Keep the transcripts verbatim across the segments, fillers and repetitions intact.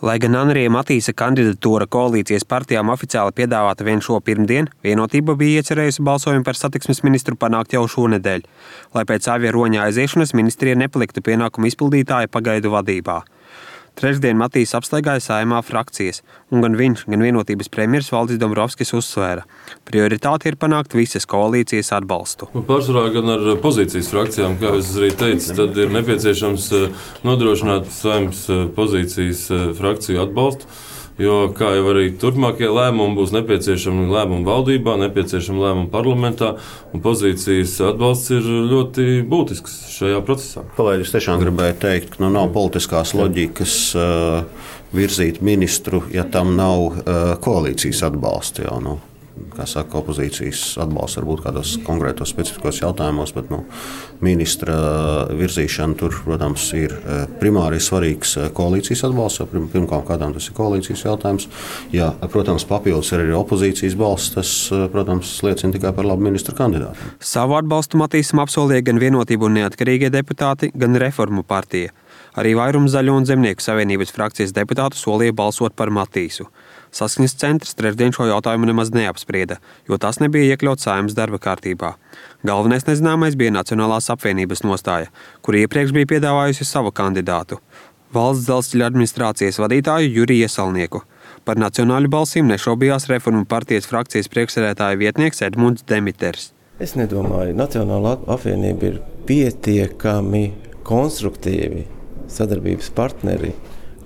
Lai gan Anrija Matīsa kandidatūra koalīcijas partijām oficiāli piedāvāta vien šo pirmdienu, Vienotība bija iecerējusi balsojumu par satiksmes ministru panākt jau šonedēļ, lai pēc Aivija Roņa aiziešanas ministrija nepaliktu pienākumu izpildītāja pagaidu vadībā. Trešdien Matīsa apstaigāja Saeimā frakcijas, un gan viņš, gan Vienotības premjers Valdis Dombrovskis uzsvēra. Prioritāte ir panākt visas koalīcijas atbalstu. Pārsvarā gan ar pozīcijas frakcijām, kā es arī teicu, tad ir nepieciešams nodrošināt Saeimas pozīcijas frakciju atbalstu, jo, kā jau arī turpmākie lēmumi, būs nepieciešami lēmumi valdībā, nepieciešami lēmumi parlamentā, un pozīcijas atbalsts ir ļoti būtisks šajā procesā. Kolēģi, es tiešām gribēju teikt, ka nu, nav politiskās loģikas uh, virzīt ministru, ja tam nav uh, koalīcijas atbalsta. Jau, nu. Kā saka, opozīcijas atbalsts varbūt kādos konkrētos specifiskos jautājumos, bet nu, ministra virzīšana tur, protams, ir primāri svarīgs koalīcijas atbalsts, jo pirmkārt kādām tas ir koalīcijas jautājums. Ja, protams, papildus ir arī opozīcijas balsts, tas, protams, liecina tikai par labu ministra kandidātu. Savu atbalstu Matīsam apsolīja gan Vienotība un neatkarīgie deputāti, gan Reformu partija. Arī vairums Zaļo un Zemnieku savienības frakcijas deputātu solīja balsot par Matīsu. Saskaņas centrs trešdien šo jautājumu nemaz neapsprieda, jo tas nebija iekļauts Saeimas darba kārtībā. Galvenais nezināmais bija Nacionālās apvienības nostāja, kur iepriekš bija piedāvājusi savu kandidātu – Valsts dzelzceļa administrācijas vadītāju Juriju Iesalnieku. Par nacionāļu balsīm nešaubījās Reformu partijas frakcijas priekšsēdētāja vietnieks Edmunds Demiters. Es nedomāju, Nacionālā apvienība ir pietiekami konstruktīvi sadarbības partneri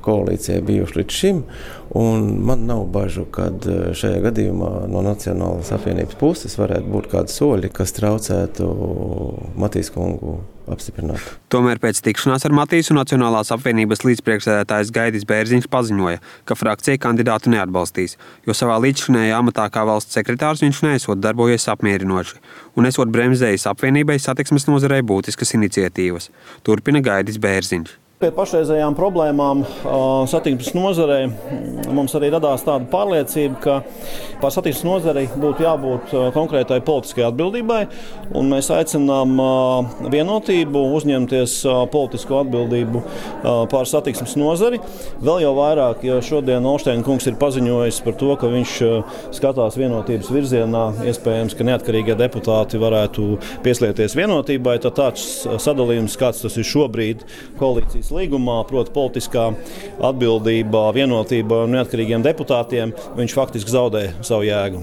koalīcijai bijuši līdz šim, un man nav bažu, kad šajā gadījumā no Nacionālās apvienības puses varētu būt kādi soļi, kas traucētu Matīsa kungu apstiprināt. Tomēr pēc tikšanās ar Matīsu Nacionālās apvienības līdzpriekšsēdētājs Gaidis Bērziņš paziņoja, ka frakcija kandidātu neatbalstīs, jo savā līdzšinējā amatā kā valsts sekretārs viņš neesot darbojies apmierinoši un esot bremzējis apvienībai satiksmes nozarei būtiskas iniciatīvas. Turpina Gaidis Bērziņš. Pie pašreizējām problēmām satiksmes nozarei mums arī radās tāda pārliecība, ka par satiksmes nozarei būtu jābūt konkrētai politiskai atbildībai, un mēs aicinām Vienotību uzņemties politisko atbildību par satiksmes nozari. Vēl jau vairāk, jo šodien Olšteina kungs ir paziņojis par to, ka viņš skatās Vienotības virzienā, iespējams, ka neatkarīgie deputāti varētu pieslieties Vienotībai, tad tāds sadalījums, kāds tas ir šobrīd koalīcijas līgumā, proti politiskā atbildība, Vienotība un neatkarīgiem deputātiem, viņš faktiski zaudē savu jēgu.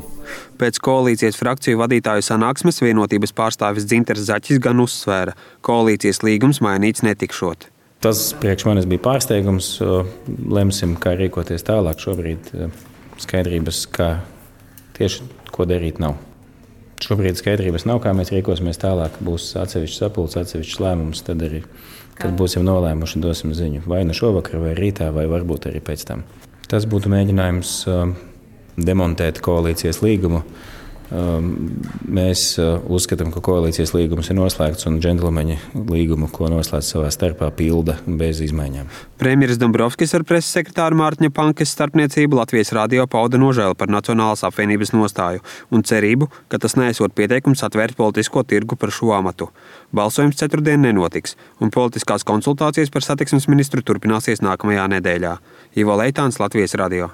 Pēc koalīcijas frakciju vadītāju sanāksmes Vienotības pārstāvis Dzinters Zaķis gan uzsvēra, koalīcijas līgums mainīts netikšot. Tas priekš manis bija pārsteigums. Lemsim, kā rīkoties tālāk. Šobrīd skaidrības, kā tieši ko darīt nav. Šobrīd skaidrības nav, kā mēs rīkosimies tālāk. Būs atsevišķs sapulcs, atsevišķs lēmums, tad arī, kad būsim nolēmuši, dosim ziņu. Vai nu šovakar, vai rītā, vai varbūt arī pēc tam. Tas būtu mēģinājums demontēt koalīcijas līgumu. Mēs uzskatām, ka koalīcijas līgums ir noslēgts un džentlmeņi līgumu, ko noslēdz savā starpā, pilda bez izmaiņām. Premjeras Dombrovskis ar preses sekretāru Mārtiņa Pankes starpniecību Latvijas radio pauda nožēlu par Nacionālās apvienības nostāju un cerību, ka tas neesot pieteikums atvērt politisko tirgu par šo amatu. Balsojums ceturtdien nenotiks, un politiskās konsultācijas par satiksmes ministru turpināsies nākamajā nedēļā. Ivo Leitāns, Latvijas radio.